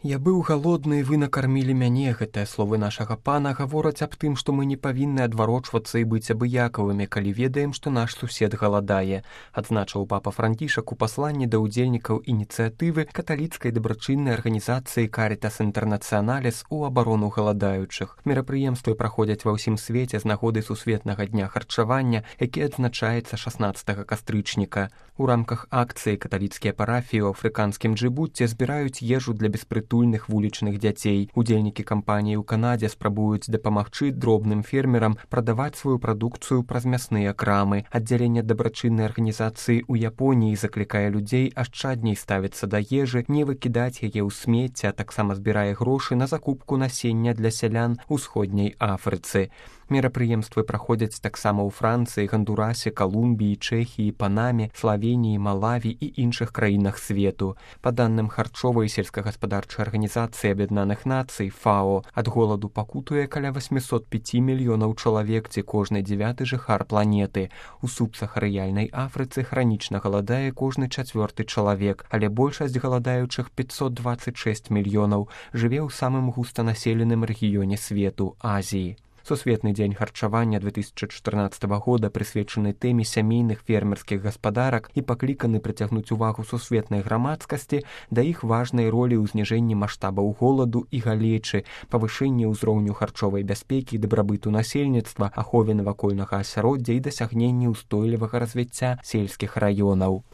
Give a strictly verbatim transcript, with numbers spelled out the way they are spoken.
Я быў галодны, вы накармілі мяне. Гэтыя словы нашага пана гавораць аб тым, што мы не павінны адварочвацца і быць абыякавымі, калі ведаем, што наш сусед галадае, адзначыў папа Францішак у пасланні да ўдзельнікаў ініцыятывы каталіцкай дабрачыннай арганізацыі Карітас Інтэрнацыяналіс у абарону галадаючых. Мерапрыемствы праходзяць ва ўсім свеце з нагоды сусветнага дня харчавання, які адзначаецца шаснаццатага кастрычніка. У рамках акцыі каталіцкія парафіі ў афрыканскім Джыбуці збіраюць ежу для беспрытульных вулічных дзяцей. Удзельнікі кампаніі ў Канадзе спрабуюць дапамагчы дробным фермерам прадаваць сваю прадукцыю праз мясныя крамы. Аддзяленне дабрачыннай арганізацыі ў Японіі заклікае людзей ашчадней ставіцца да ежы, не выкідаць яе ў смецце, а таксама збірае грошы на закупку насення для сялян у ўсходняй Афрыцы. Мерапрыемствы праходзяць таксама ў Францыі, Гандурасе, Калумбіі, Чэхіі, Панаме, Славеніі, Малаві і іншых краінах свету. Па данным харчовай і сельскагаспадарчай арганізацыі Аб'яднаных Нацый ФАО, ад голаду пакутуе каля восьмісот пяць мільёнаў чалавек, ці кожны дзявяты жыхар планеты. У субсахарыяльнай Афрыцы хранічна галадае кожны чацвёрты чалавек, але большасць галадаючых пятьсот двадцать шесть мільёнаў жыве ў самым густанаселеным рэгіёне свету Азіі. Сусветны дзень харчавання две тысячы чатырнаццатага года прысвечаны тэме сямейных фермерскіх гаспадарак і пакліканы прыцягнуць увагу сусветнай грамадскасці да іх важнай ролі ў зніжэнні маштабаў голаду і галечы, павышэнні ўзроўню харчовай бяспекі і дабрабыту насельніцтва, ахове навакольнага асяроддзя і дасягненні ўстойлівага развіцця сельскіх раёнаў.